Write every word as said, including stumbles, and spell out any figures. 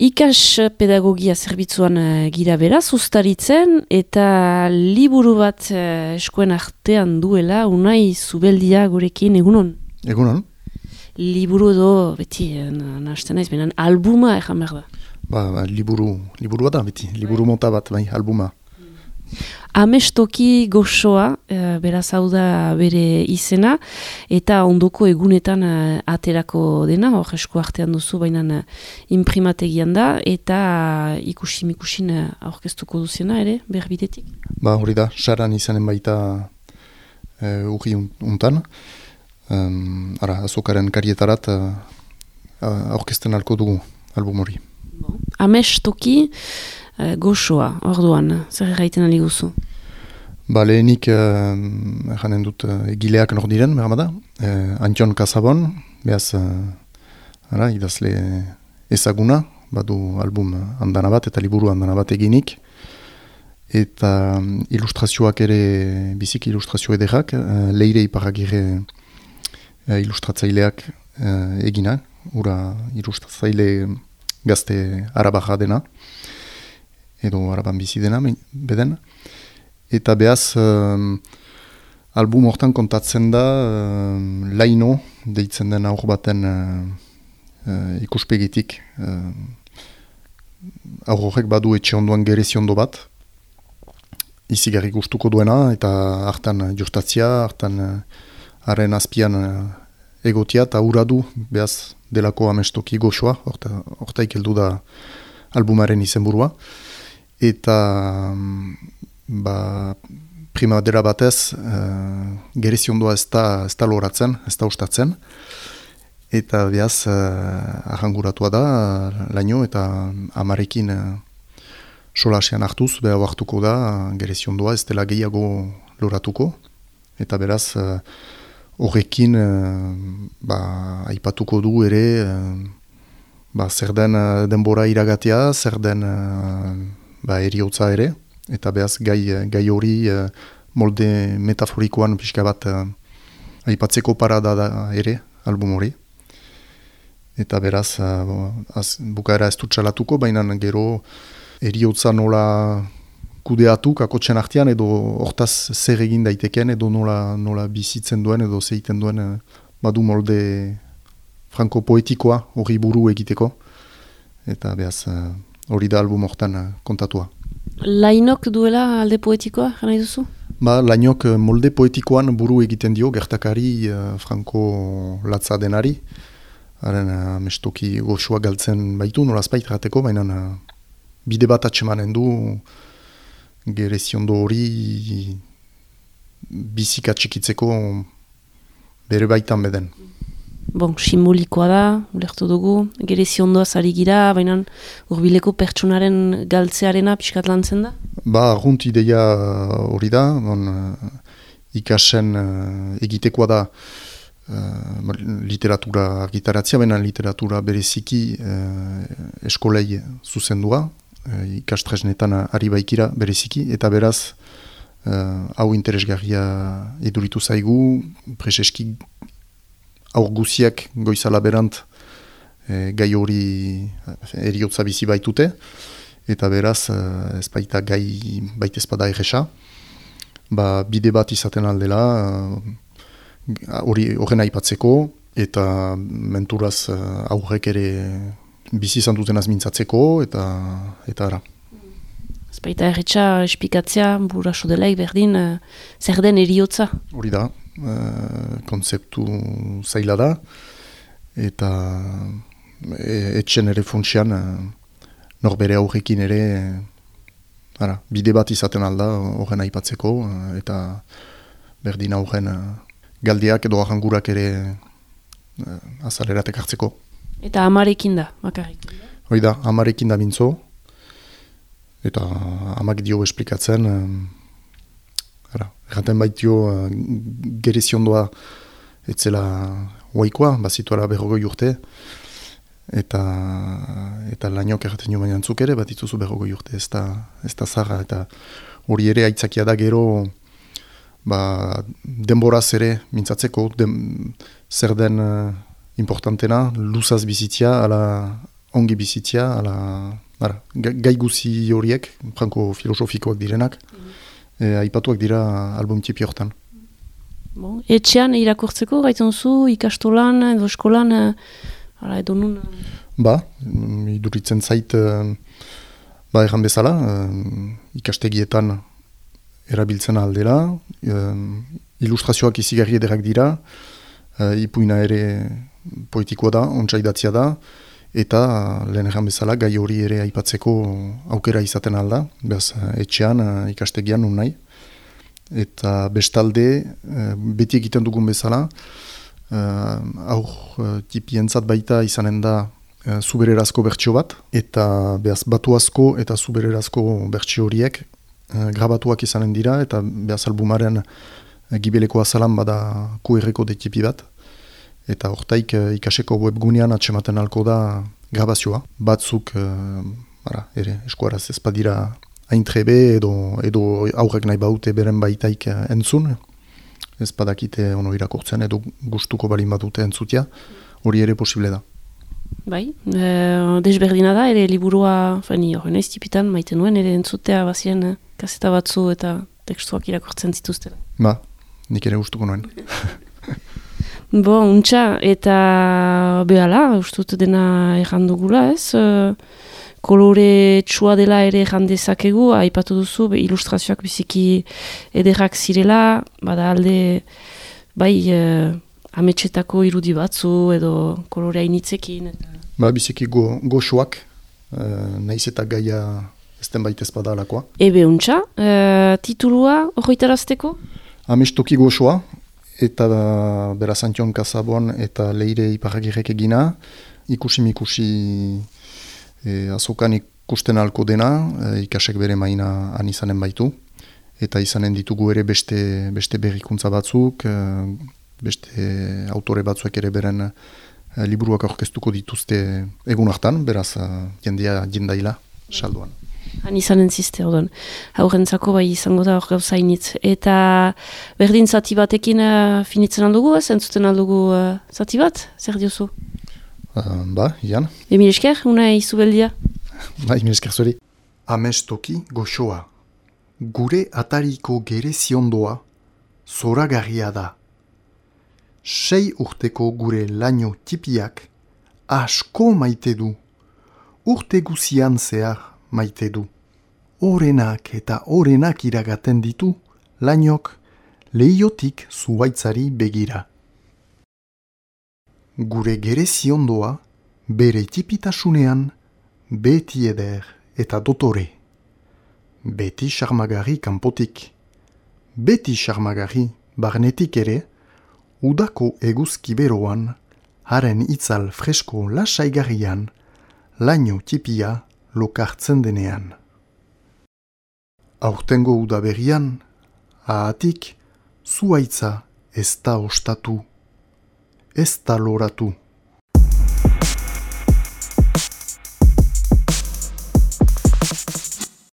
Ikas pedagogia zerbitzuan uh, gira beraz, ustaritzen, eta liburu bat uh, eskuen artean duela, Unai Zubeldia gurekin, egunon? Egunon. Liburu edo, beti, nahazten naiz, benen albuma egan behar da. Ba, ba, liburu, liburu bat da, beti, liburu mota bat, bai, albuma. Amestoki goxoa, uh, beraz hau da bere izena, eta ondoko egunetan uh, aterako dena, hor esku artean duzu, baina uh, imprimategian da, eta uh, ikusi mikusin uh, aurkeztuko duzena ere, berbidetik? Ba, hori da, saran izanen baita uh, urri untan, um, ara, azokaren karietarat uh, aurkezten alko dugu album hori. Bon. Amestoki uh, goxoa, orduan, zer erraiten ali guzu? Ba, lehenik uh, janen dut uh, egileak nor diren, behar da. Uh, Antion Kasabon, behaz, uh, ara, idazle ezaguna, badu album andana bat eta liburu andana bat eginik. Eta um, ilustrazioak ere, bizik ilustrazio ederrak, uh, leire iparagire uh, ilustratzaileak uh, egina, ura ilustratzaile gazte arabaja dena, edo araban bizi dena, beden. Eta behaz, um, album hortan kontatzen da, um, laino, deitzen den aur baten uh, uh, ikuspegitik. Uh, aur horrek badu etxe ondoan gerezi ondo bat, izigarri gustuko duena, eta hartan justatzia, hartan haren uh, azpian uh, egotia, eta hura du, behaz, delako amestoki goxoa, hortaik heldu da albumaren izenburua. Eta ba, primadera batez, uh, gerezi ondoa ez da, ez da loratzen, ez da ustatzen. Eta behaz, uh, ahanguratua da, laino, eta amarekin uh, solasean hartuz, beha hartuko da, gerezi ondoa ez dela gehiago loratuko. Eta beraz, uh, horrekin uh, ba, aipatuko du ere uh, ba, zer den uh, denbora iragatea, zer den uh, ba, eriotza ere, eta behaz gai, gai hori uh, molde metaforikoan pixka bat uh, aipatzeko parada da ere, album hori. Eta beraz, uh, az, bukaera ez dut txalatuko, baina gero eriotza nola kudeatu kakotxen artean, edo hortaz zer egin daiteken, edo nola, nola bizitzen duen, edo zeiten duen, badu molde franko poetikoa hori buru egiteko. Eta behaz, hori da album hortan kontatua. Lainok duela alde poetikoa, jana duzu? Ba, lainok molde poetikoan buru egiten dio, gertakari franko latza denari. Haren, amestoki goxoa galtzen baitu, nolazpait rateko, baina bide bat atsemanen du, gereziondo hori bizika txikitzeko bere baitan beden. Bon, simbolikoa da, ulertu dugu, gereziondoa zari gira, baina urbileko pertsonaren galtzearena pixkat lantzen da? Ba, arrunt ideia hori da, bon, ikasen uh, egitekoa da uh, literatura argitaratzea, baina literatura bereziki uh, eskolei zuzendua, ikastresnetan ari baikira bereziki, eta beraz uh, hau interesgarria eduritu zaigu, preseski aur guziak goizala berant eh, gai hori eriotza bizi baitute, eta beraz uh, ez baita gai baita ezpada erresa, ba, bide bat izaten aldela hori uh, horren aipatzeko, eta menturaz uh, aurrek ere bizi izan duten azmintzatzeko, eta eta ara. Ez baita erretxa espikatzea, buraso delaik berdin, uh, zer den eriotza? Hori da, uh, konzeptu zaila da, eta e, etxen ere funtsian, uh, norbere aurrekin ere, uh, ara, bide bat izaten alda horren aipatzeko, uh, eta berdin aurren uh, galdiak edo ahangurak ere uh, azaleratek hartzeko. Eta amarekin da, bakarrik. Hoi da, amarekin da bintzo, eta amak dio esplikatzen, um, erraten baitio uh, gereziondoa etzela oaikoa, bazituara berrogoi urte, eta eta lainok erraten jo baina antzuk ere, bat itzuzu berrogoi urte, ez da, ez da zarra, eta hori ere aitzakia da gero, ba, denboraz ere mintzatzeko, den, zer den uh, importantena, luzaz bizitzia, ala ongi bizitzia, ala, ara, gai guzi horiek, franko filosofikoak direnak, mm-hmm. e, aipatuak dira album tipi hortan. Bon. Etxean irakurtzeko, gaitzen zu, ikastolan, edo eskolan, ala, edo nun? Ba, iduritzen zait, ba, erran bezala, ikastegietan erabiltzen aldela, ilustrazioak izigarri ederrak dira, ipuina ere poetikoa da, ontsa idatzia da, eta lehen erran bezala gai hori ere aipatzeko aukera izaten alda, behaz etxean, ikastegian nun nahi. Eta bestalde, beti egiten dugun bezala, aur tipientzat baita izanen da zubererazko bertsio bat, eta behaz batuazko eta zubererazko bertsio horiek grabatuak izanen dira, eta behaz albumaren gibeleko azalan bada Q R-ko detipi bat, eta hortaik ikaseko webgunean atsematen alko da grabazioa. Batzuk, ara, ere, eskuaraz ez badira hain trebe edo, edo aurrek nahi baute beren baitaik entzun, ez badakite ono irakurtzen edo gustuko balin badute entzutia, hori ere posible da. Bai, e, desberdina da, ere liburua, fani hori naiz tipitan, maite nuen, ere entzutea bazien kaseta batzu eta tekstuak irakurtzen zituzten. Ba, nik ere gustuko nuen. Bo, untxa, eta behala, ustut dena errandugula ez, e, kolore txua dela ere jandezakegu, aipatu duzu, be, ilustrazioak biziki ederrak zirela, bada alde, bai, e, ametxetako irudi batzu, edo kolore hainitzekin. Eta... Ba, biziki go, goxoak, e, nahiz eta gaia ezten baita ezpada alakoa. Ebe untxa, e, titulua horretarazteko? Amestoki goxoa, eta beraz Antion Kasabon eta Leire Iparagirrek egina, ikusi-mikusi E, azokan ikusten alko dena, e, ikasek bere maina han izanen baitu, eta izanen ditugu ere beste, beste berrikuntza batzuk, e, beste autore batzuek ere beren e, liburuak aurkeztuko dituzte egun hartan, beraz e, jendea jendaila salduan. Han izanen ziste, odon. Haurentzako bai izango da hor gauza initz. Eta berdin zati batekin e, finitzen aldugu, ez entzuten aldugu e, zati bat? Zer diozu? Uh, ba, Ian. Emil esker, una izubeldia. Ba, Emil esker zuri. Amestoki goxoa. Gure atariko gereziondoa zoragarria da. Sei urteko gure laino tipiak asko maite du. Urte guzian zehar maite du. Orenak eta orenak iragaten ditu lainok lehiotik zuaitzari begira. Gure gereziondoa bere tipitasunean beti eder eta dotore. Beti xarmagarri kanpotik. Beti xarmagarri barnetik ere, udako eguzkiberoan, haren itzal fresko lasaigarrian, laino tipia lokartzen denean. Aurtengo udaberrian, ahatik, zuaitza ez da ostatu. Ez da loratu.